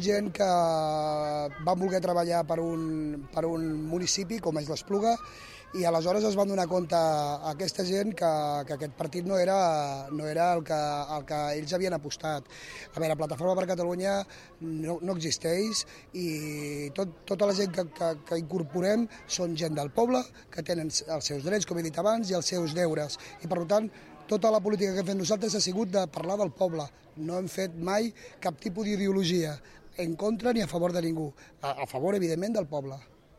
Gent que van voler treballar per un municipi com és l'Espluga i aleshores es van donar compte a aquesta gent que aquest partit no era el que ells havien apostat. A veure, Plataforma per Catalunya no existeix i tota la gent que incorporem són gent del poble, que tenen els seus drets, com he dit abans, i els seus deures. I per tant, tota la política que hem fet nosaltres ha sigut de parlar del poble. No hem fet mai cap tipus d'ideologia en contra ni a favor de ningú. A favor, evidentment, del poble.